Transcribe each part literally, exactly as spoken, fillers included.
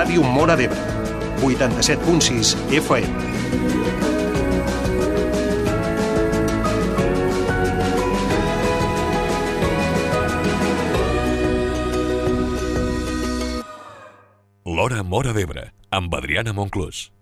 Ràdio Móra d'Ebre, vuitanta-set punt sis F M. L'Hora Móra d'Ebre, amb Adriana Monclús.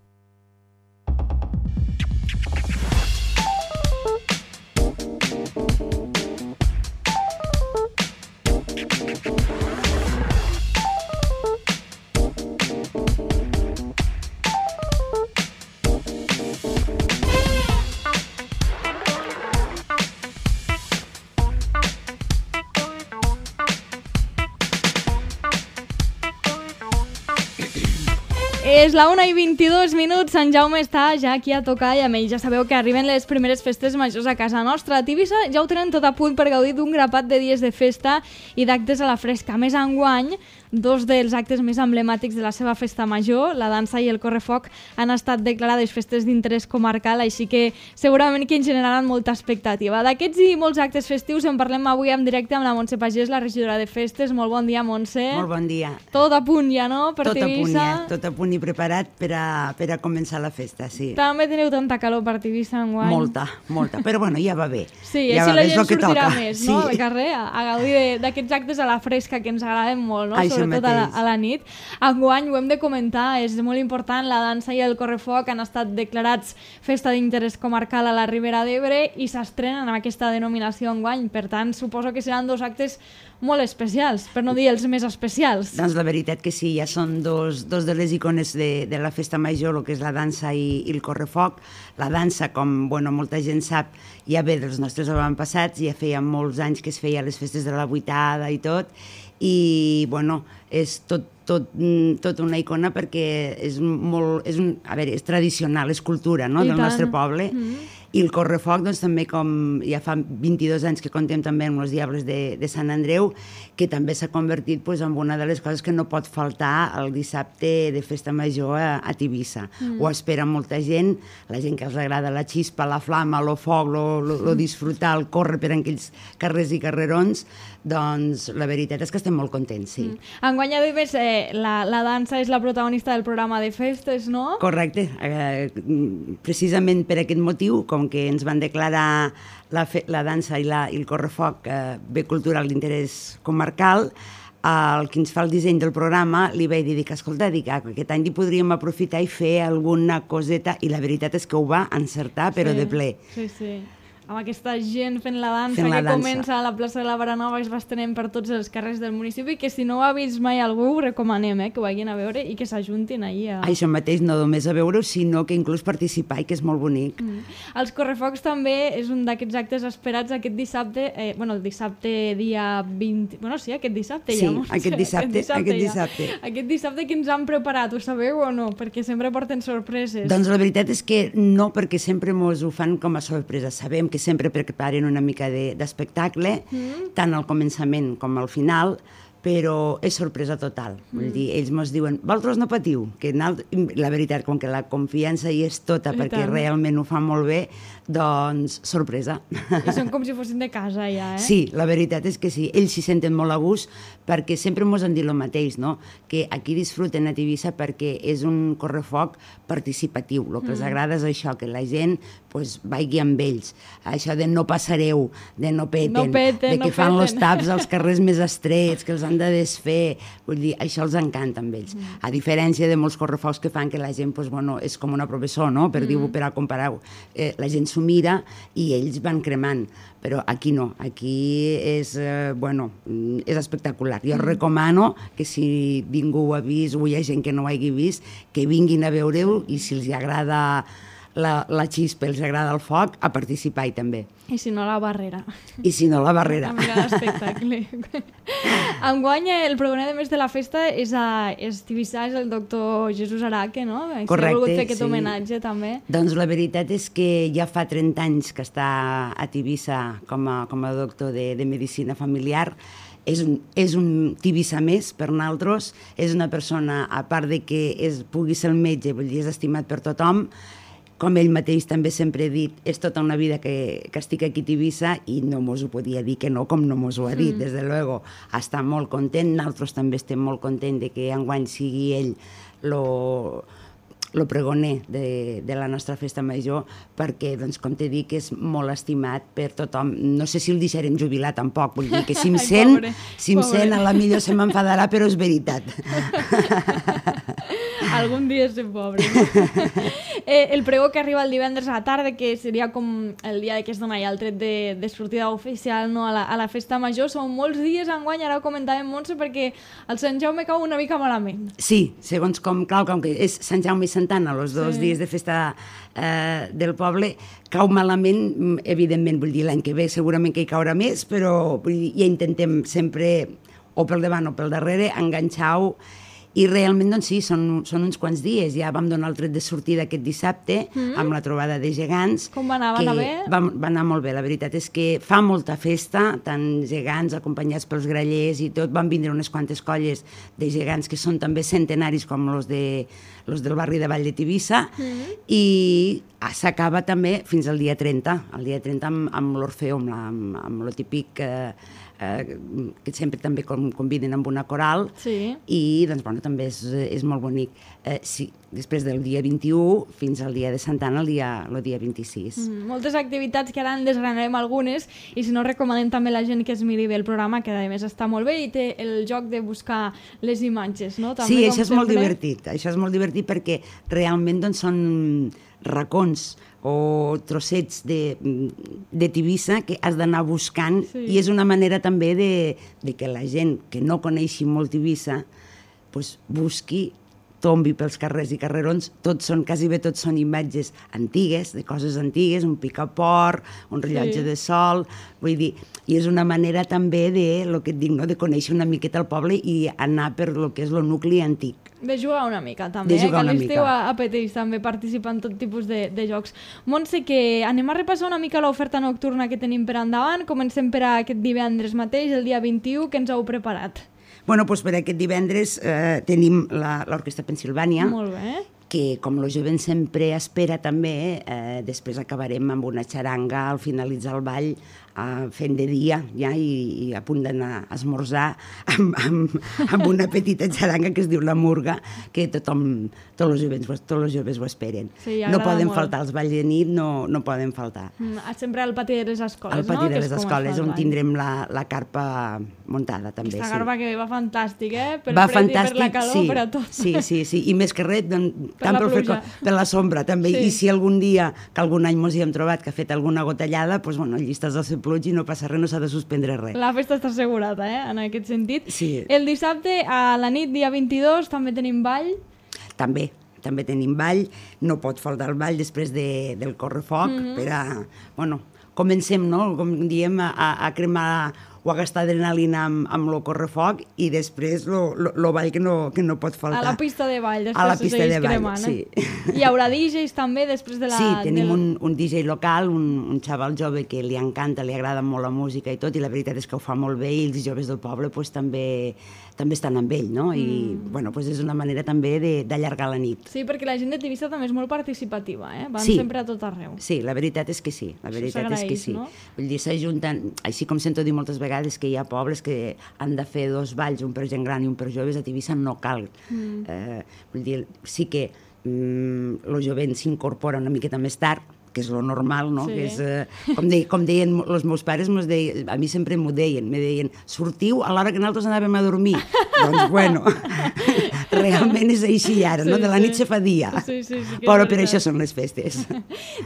És la una i vint-i-dos minuts, Sant Jaume està ja aquí a tocar i a més ja sabeu que arriben les primeres festes majors a casa nostra. A Tivissa ja ho tenen tot a punt per gaudir d'un grapat de dies de festa i d'actes a la fresca. A més, enguany, dos dels actes més emblemàtics de la seva festa major, la dansa i el correfoc, han estat declarades festes d'interès comarcal, així que segurament que en generaran molta expectativa. D'aquests i molts actes festius en parlem avui en directe amb la Montse Pagès, la regidora de festes. Molt bon dia, Montse. Molt bon dia. Tot a punt ja, no? Per tot Tivissa. a punt ja, tot a punt i preparat per a, per a començar la festa, sí. També teniu tanta calor per Tivissa enguany. Molta, molta, però bueno, ja va bé. Sí, ja així la gent sortirà toca. més, sí. no?, al carrer, a, a gaudir d'aquests actes a la fresca que ens agraden molt, no?, Això sobretot a la, mateix. a la nit. Enguany, ho hem de comentar, és molt important, la dansa i el correfoc han estat declarats festa d'interès comarcal a la Ribera d'Ebre i s'estrenen amb aquesta denominació enguany. Per tant, suposo que seran dos actes molt especials, per no dir els més especials. Doncs la veritat que sí, ja són dos, dos de les icones de, de la festa major, el que és la dansa i, i el correfoc. La dansa, com bueno, molta gent sap, ja ve dels nostres avantpassats, ja feia molts anys que es feia les festes de la vuitada i tot, i bueno, és tot, tot, tot una icona perquè és molt, és un, a veure, és tradicional, és cultura, no?, del nostre poble. Mm-hmm. I el correfoc, doncs, també com ja fa vint-i-dos anys que contem també amb els Diables de, de Sant Andreu, que també s'ha convertit pues, en una de les coses que no pot faltar el dissabte de festa major a, a Tivissa. Mm. Ho espera molta gent, la gent que els agrada la xispa, la flama, el foc, lo, lo, lo disfrutar, el córrer per aquells carrers i carrerons, doncs la veritat és que estem molt contents, sí. Mm. Enguany, a més, eh, la, la dansa és la protagonista del programa de festes, no? Correcte. Eh, precisament per aquest motiu, com que ens van declarar la, fe, la dansa i, la, i el correfoc eh, bé cultural d'interès comarcal, el que ens fa el disseny del programa li vaig dir que, escolta, dic, aquest any hi podríem aprofitar i fer alguna coseta, i la veritat és que ho va encertar, però sí, de ple. Sí, sí. Amb aquesta gent fent la dansa fent la que dansa. Comença a la plaça de la Baranova i es va estenent per tots els carrers del municipi, que si no ho ha vist mai algú ho recomanem, eh, que ho vagin a veure i que s'ajuntin ahir a... Això mateix, no només a veure-ho, sinó que inclús participar, i que és molt bonic. Mm. Els correfocs també és un d'aquests actes esperats aquest dissabte, eh, bueno, el dissabte dia vint... Bueno, sí, aquest dissabte sí, ja. Sí, aquest dissabte, aquest dissabte. Aquest dissabte. Ja. Aquest dissabte que ens han preparat, ho sabeu o no? Perquè sempre porten sorpreses. Doncs la veritat és que no, perquè sempre mos ho fan com a sorpresa. Sabem que sempre preparen una mica d'espectacle, de, mm. tant al començament com al final, però és sorpresa total. Mm. Vull dir, ells mos diuen, vosaltres no patiu, que la veritat, com que la confiança hi és tota, I perquè tant. Realment ho fa molt bé, doncs sorpresa. I són com si fossin de casa ja, eh? Sí, la veritat és que sí, ells s'hi senten molt a gust, perquè sempre mos han dit el mateix, no?, que aquí disfruten a Tivissa perquè és un correfoc participatiu. El que mm. els agrada és això, que la gent pues, vagi amb ells. Això de no passareu, de no peten, no peten de que no fan peten. els taps als carrers més estrets, que els han de desfer. Vull dir, això els encanta amb ells. Mm. A diferència de molts correfocs que fan que la gent, pues, bueno, és com una professor, no?, per mm. dir-ho, per a comparar-ho. Eh, la gent s'ho mira i ells van cremant. Però aquí no, aquí és, eh, bueno, és espectacular. Jo mm. recomano que si ningú ho ha vist o hi ha gent que no ho hagi vist, que vinguin a veure-ho i si els agrada la, la xispa, els agrada el foc, a participar-hi també. I si no, la barrera. I si no, la barrera. A mirar l'espectacle. Enguany, el protagonista de més de la festa és, a, és Tivissa, és el doctor Jesús Araque, no? Correcte, ha volgut fer aquest sí. homenatge, també. Doncs la veritat és que ja fa trenta anys que està a Tivissa com a, com a doctor de, de Medicina Familiar. És un, és un Tivissa més per nosaltres, és una persona, a part de que és, pugui ser el metge, vull dir, és estimat per tothom, com ell mateix també sempre ha dit, és tota una vida que, que estic aquí a Tivissa i no mos ho podia dir que no, com no mos ho ha dit, mm. des de luego. Està molt content, nosaltres també estem molt contents de que enguany sigui ell lo... el pregoner de, de la nostra festa major, perquè, doncs, com t'he dit, és molt estimat per tothom. No sé si el deixarem jubilar tampoc, vull dir que si em sent, Ai, pobre, si em sent, a la millor se m'enfadarà, però és veritat. Algun dia és pobre. eh, el pregó que arriba el divendres a la tarda, que seria com el dia que es dona ja el tret de, de sortida oficial, no, a, la, a la festa major, són molts dies enguany, ara ho comentàvem, Montse, perquè el Sant Jaume cau una mica malament. Sí, segons com, clar, com que és Sant Jaume i Santana, els dos sí. dies de festa eh, del poble, cau malament, evidentment, vull dir, l'any que ve segurament que hi caurà més, però vull dir, ja intentem sempre, o pel davant o pel darrere, enganxar-ho. I realment, doncs sí, són, són uns quants dies. Ja vam donar el tret de sortida aquest dissabte mm. amb la trobada de gegants. Com va anar? Va anar bé? Va, va anar molt bé, la veritat és que fa molta festa, tant gegants acompanyats pels grallers i tot. Van vindre unes quantes colles de gegants que són també centenaris com els de, los del barri de Vall de Tivissa mm. i s'acaba també fins al dia trenta. El dia trenta amb, amb l'Orfeo, amb, la, amb, amb lo típic... Eh, Eh, que sempre també conviden amb una coral sí. i doncs, bueno, també és, és molt bonic. Eh, sí, després del dia vint-i-u fins al dia de Santa Anna, el dia, el dia vint-i-sis. Mm, moltes activitats que ara en desgranarem algunes i si no recomanem també la gent que es miri bé el programa, que a més està molt bé i té el joc de buscar les imatges, no? També, sí, això és sempre... molt divertit, això és molt divertit perquè realment doncs, són racons o trossets de, de Tivissa que has d'anar buscant sí. i és una manera també de, de que la gent que no coneixi molt Tivissa pues, busqui, tombi pels carrers i carrerons, tots són, quasi bé tots són imatges antigues, de coses antigues, un picaport, un rellotge sí. de sol, vull dir, i és una manera també de, lo que et dic, no, de conèixer una miqueta el poble i anar per lo que és el nucli antic. De jugar una mica, també, de jugar eh? que l'esteu apeteix també participar en tot tipus de, de jocs. Montse, que anem a repassar una mica l'oferta nocturna que tenim per endavant. Comencem per aquest divendres mateix, el dia vint-i-u, que ens heu preparat. Bueno, doncs per aquest divendres eh, tenim l'Orquestra Pensilvània, molt bé. Que com el jovent sempre espera també, eh, després acabarem amb una xaranga al finalitzar el ball, eh, fent de dia ja, i, i a punt d'anar a esmorzar amb, amb, amb una petita xaranga que es diu La Murga, que tothom, tots els joves, tots els joves ho esperen. Sí, no poden molt. faltar, els balls de nit no, no poden faltar. Mm, sempre al pati de les escoles, al pati no? de les escoles, on tindrem la, la carpa muntada també. Aquesta sí. carpa que va fantàstic, eh? Per va fred fantàstic, i per la calor, sí, per a tot. Sí, sí, sí, i més que res, doncs, per tant la pel pluja. Fred, per la sombra també, sí. I si algun dia, que algun any mos hi hem trobat que ha fet alguna gotellada, doncs bueno, allí estàs al seu pluig i no passa res, no s'ha de suspendre res. La festa està assegurada, eh? En aquest sentit. Sí. El dissabte, a la nit, dia vint-i-dos, també tenim ball. També, també tenim ball, no pot faltar el ball després de, del correfoc, mm-hmm. per a, bueno, comencem, no?, com diem, a, a cremar o a gastar adrenalina amb, amb el correfoc i després el ball que no, que no pot faltar. A la pista de ball, després a la pista de ball, cremant, sí. Eh? Hi haurà D Js també després de la... Sí, tenim del... un, un D J local, un, un xaval jove que li encanta, li agrada molt la música i tot, i la veritat és que ho fa molt bé i els joves del poble pues, també, també estan amb ell, no? I mm. bueno, pues és una manera també d'allargar la nit. Sí, perquè la gent de Tivissa també és molt participativa, eh? Van sí. sempre a tot arreu. Sí, la veritat és que sí, la veritat és que sí. No? Vull dir, s'ajunten, així com sento dir moltes vegades que hi ha pobles que han de fer dos balls, un per gent gran i un per joves, a Tivissa no cal. Mm. Eh, vull dir, sí que mm, el jovent s'incorpora una miqueta més tard, que és lo normal, no? Sí. Que és, eh, com, de, com deien els meus pares, deien, a mi sempre m'ho deien, me deien, sortiu a l'hora que nosaltres anàvem a dormir. Doncs, bueno, realment és així ara, sí, no? De la nit sí. se fa dia. Sí, sí, sí, però per això són les festes.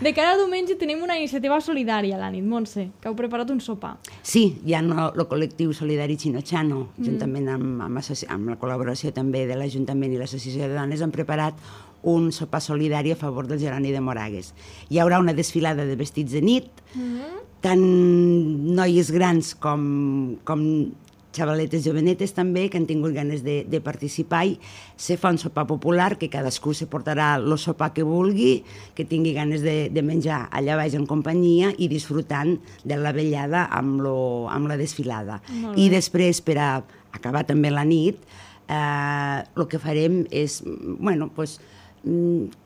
De cada diumenge tenim una iniciativa solidària a la nit, Montse, que heu preparat un sopar. Sí, hi ha no, el col·lectiu solidari Chino-Chano, mm. juntament amb, amb, amb la col·laboració també de l'Ajuntament i l'Associació de Dones, han preparat un sopar solidari a favor del Geroni de Moragues. Hi haurà una desfilada de vestits de nit, mm-hmm. tant noies grans com, com xavaletes jovenetes també, que han tingut ganes de, de participar, i se fa un sopar popular, que cadascú se portarà el sopar que vulgui, que tingui ganes de, de menjar allà baix en companyia i disfrutant de la vellada amb, lo, amb la desfilada. I després, per a acabar també la nit, eh, el que farem és, bueno, pues,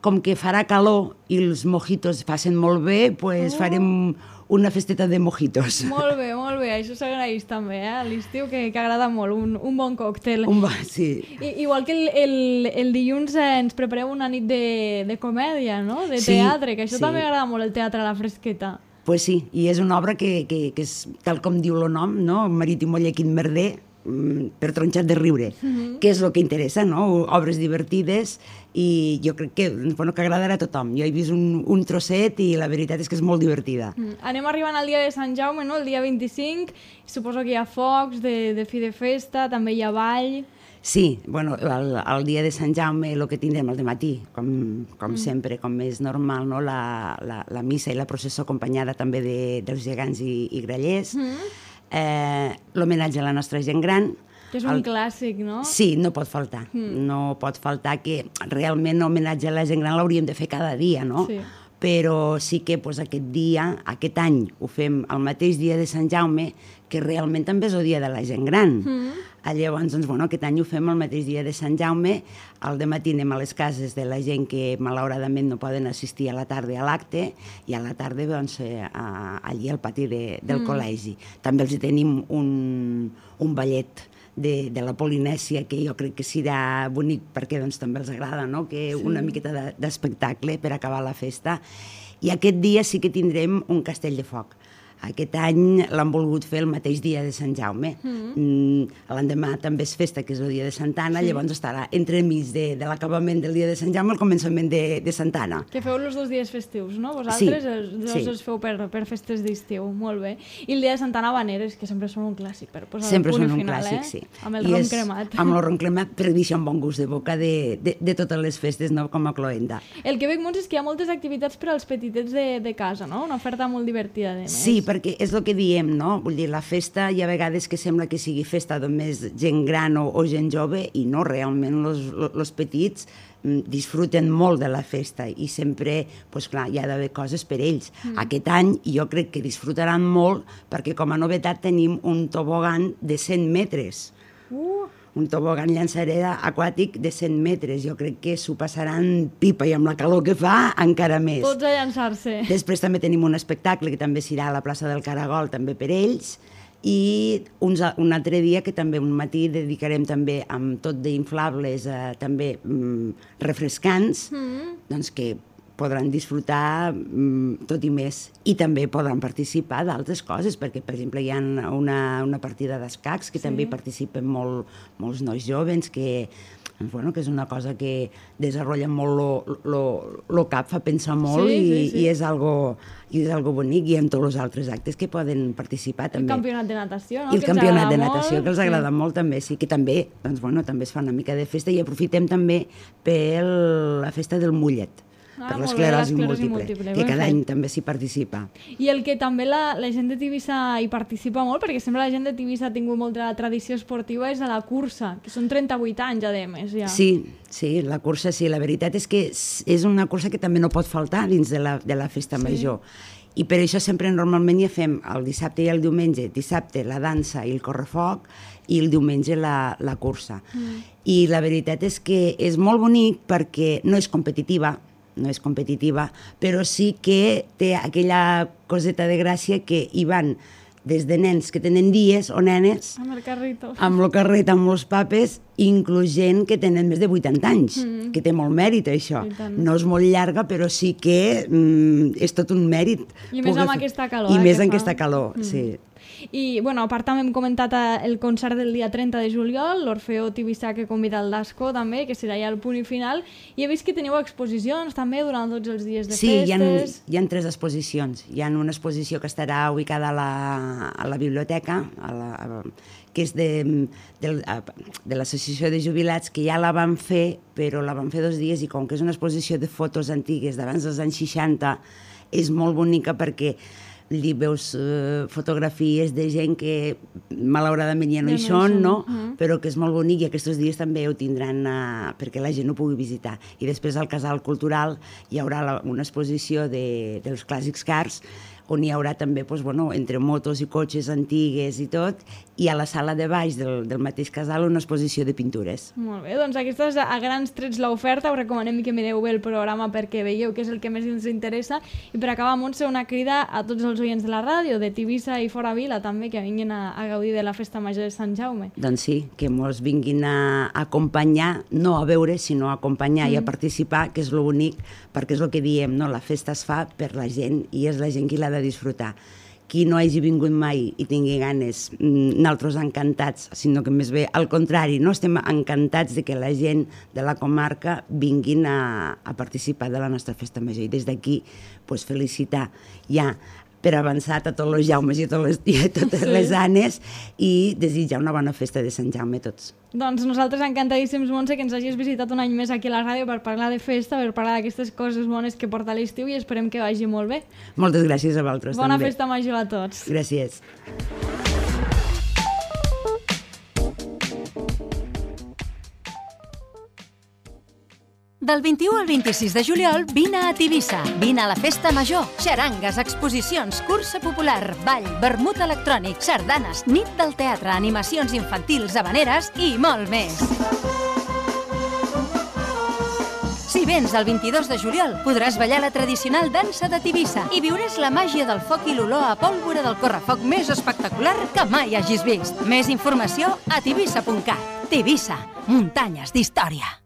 com que farà calor i els mojitos passen molt bé, pues Oh. farem una festeta de mojitos. Molt bé, molt bé, això s'agraeix també, eh? A l'estiu, que, que agrada molt, un, un bon còctel. Un bo, sí. I, igual que el, el, el dilluns eh, ens prepareu una nit de, de comèdia, no? De Sí, teatre, que això sí. també agrada molt, el teatre a la fresqueta. Pues sí, i és una obra que, que, que és, tal com diu el nom, no? Marit i Moller, quin merder, mm, per tronxar de riure, Mhm. que és el que interessa, no? Obres divertides, i jo crec que, bueno, que agradarà a tothom. Jo he vist un, un trosset i la veritat és que és molt divertida. Mm. Anem arribant al dia de Sant Jaume, no? El dia vint-i-cinc, suposo que hi ha focs de, de fi de festa, també hi ha ball... Sí, bueno, el, el dia de Sant Jaume el que tindrem al matí, com, com mm. sempre, com és normal, no? la, la, la missa i la processó acompanyada també de, dels gegants i, i grallers, mm. eh, l'homenatge a la nostra gent gran. Que és un el... clàssic, no? Sí, no pot faltar. Mm. No pot faltar, que realment l'homenatge a la gent gran l'hauríem de fer cada dia, no? Sí. Però sí que pues, aquest dia, aquest any, ho fem el mateix dia de Sant Jaume, que realment també és el dia de la gent gran. Mm. Llavors, doncs, bueno, aquest any ho fem el mateix dia de Sant Jaume, al dematí anem a les cases de la gent que malauradament no poden assistir a la tarda a l'acte, i a la tarda doncs, eh, a, allí al pati de, del mm. col·legi. També els tenim un, un ballet de, de la Polinèsia, que jo crec que serà bonic perquè doncs, també els agrada, no? Que sí. Una miqueta de, d'espectacle per acabar la festa. I aquest dia sí que tindrem un castell de foc. Aquest any l'han volgut fer el mateix dia de Sant Jaume. Mm. Mm, l'endemà també és festa, que és el dia de Santa Anna, sí. Llavors estarà entremig de, de l'acabament del dia de Sant Jaume al començament de, de Santa Anna. Que feu els dos dies festius, no? Vosaltres sí. els dos sí. els feu per, per festes d'estiu, molt bé. I el dia de Santa Anna Habaneres, que sempre són un clàssic, per posar sempre el punt són un final, clàssic, eh? sí. Amb el I rom és, cremat. Amb el rom cremat, per deixar un bon gust de boca de, de, de totes les festes, no? Com a cloenda. El que veig molt és que hi ha moltes activitats per als petitets de, de casa, no? Una oferta molt divertida, de més. Sí, perquè és el que dic, no? Vull dir, la festa hi ha vegades que sembla que sigui festa només gent gran o, o gent jove, i no, realment els petits disfruten molt de la festa i sempre, doncs clar, hi ha d'haver coses per ells. Mm. Aquest any jo crec que disfrutaran molt perquè com a novetat tenim un tobogan de cent metres. Uh! Un tobogan llançareda aquàtic de cent metres. Jo crec que s'ho passaran pipa, i amb la calor que fa encara més. Tots a llançar-se. Després també tenim un espectacle que també serà a la plaça del Caragol, també per ells, i uns, un altre dia que també un matí dedicarem també amb tot d'inflables, eh, també mm, refrescants, mm. doncs que podran disfrutar mm, tot i més. I també podran participar d'altres coses, perquè, per exemple, hi ha una, una partida d'escacs que sí. també hi participen molt, molts nois joves, que, bueno, que és una cosa que desenvolupa molt lo, lo, lo cap, fa pensar molt, sí, i, sí, sí. i és algo, i és algo bonic, i en tots els altres actes que poden participar també. El campionat de natació, no? I el que campionat de natació, molt, que els agrada sí. molt també, sí, que també, doncs, bueno, també es fa una mica de festa, i aprofitem també per la festa del mullet. Ah, per l'esclerosi múltiple, múltiple, que cada any també s'hi participa. I el que també la, la gent de Tivissa hi participa molt, perquè sempre la gent de Tivissa ha tingut molta tradició esportiva, és a la cursa, que són trenta-vuit anys, a més, ja. Sí, sí, la cursa sí. La veritat és que és una cursa que també no pot faltar dins de la, de la festa sí. major. I per això sempre normalment ja fem el dissabte i el diumenge, dissabte la dansa i el correfoc, i el diumenge la, la cursa. Mm. I la veritat és que és molt bonic perquè no és competitiva, no és competitiva, però sí que té aquella coseta de gràcia que hi van des de nens que tenen dies o nenes amb el carrito, amb el carret, amb els papes, inclús gent que tenen més de vuitanta anys, mm. que té molt mèrit això. No és molt llarga, però sí que mm, és tot un mèrit. I més amb aquesta calor. I eh, més amb fa. aquesta calor, mm. sí. I, bueno, a part també hem comentat el concert del dia trenta de juliol, l'Orfeó Tivissà que convida el Dasco també, que serà ja el punt i final, i he vist que teniu exposicions també durant tots els dies de sí, festes. Sí, hi ha, hi ha tres exposicions. Hi ha una exposició que estarà ubicada a la, a la biblioteca, a la, a, que és de, de, de l'Associació de Jubilats, que ja la van fer, però la van fer dos dies, i com que és una exposició de fotos antigues d'abans dels anys seixanta, és molt bonica perquè li veus uh, fotografies de gent que malauradament ja no hi són, no? Uh-huh. Però que és molt bonic, i aquests dies també ho tindran uh, perquè la gent ho pugui visitar. I després al Casal Cultural hi haurà la, una exposició de, dels clàssics cars, on hi haurà també, doncs, bueno, entre motos i cotxes antigues i tot, i a la sala de baix del, del mateix casal una exposició de pintures. Molt bé, doncs aquesta és a grans trets l'oferta, us recomanem que mireu bé el programa perquè veieu què és el que més ens interessa, i per acabar, Montse, una crida a tots els oients de la ràdio, de Tivissa i fora Vila també, que vinguin a, a gaudir de la Festa Major de Sant Jaume. Doncs sí, que mos vinguin a acompanyar, no a veure, sinó a acompanyar mm. i a participar, que és lo bonic, perquè és el que diem, no? La festa es fa per la gent i és la gent qui l'ha de disfrutar. Qui no hagi vingut mai i tingui ganes, nosaltres encantats, sinó que més bé al contrari, no estem encantats de que la gent de la comarca vinguin a, a participar de la nostra Festa Major, i des d'aquí pues, felicitar ja per avançat a tots els Jaumes i a, les, i a totes sí. les Anes, i desitjar una bona festa de Sant Jaume a tots. Doncs nosaltres encantadíssims, Montse, que ens hagis visitat un any més aquí a la ràdio per parlar de festa, per parlar d'aquestes coses bones que porta l'estiu, i esperem que vagi molt bé. Moltes gràcies a vosaltres Bona també. Bona Festa Major a tots. Gràcies. Del vint-i-u al vint-i-sis de juliol, vine a Tivissa. Vine a la Festa Major. Xarangues, exposicions, cursa popular, ball, vermut electrònic, sardanes, nit del teatre, animacions infantils, habaneres i molt més. Si vens el vint-i-dos de juliol, podràs ballar la tradicional dansa de Tivissa i viuràs la màgia del foc i l'olor a pólvora del correfoc més espectacular que mai hagis vist. Més informació a tivissa punt cat. Tivissa, muntanyes d'història.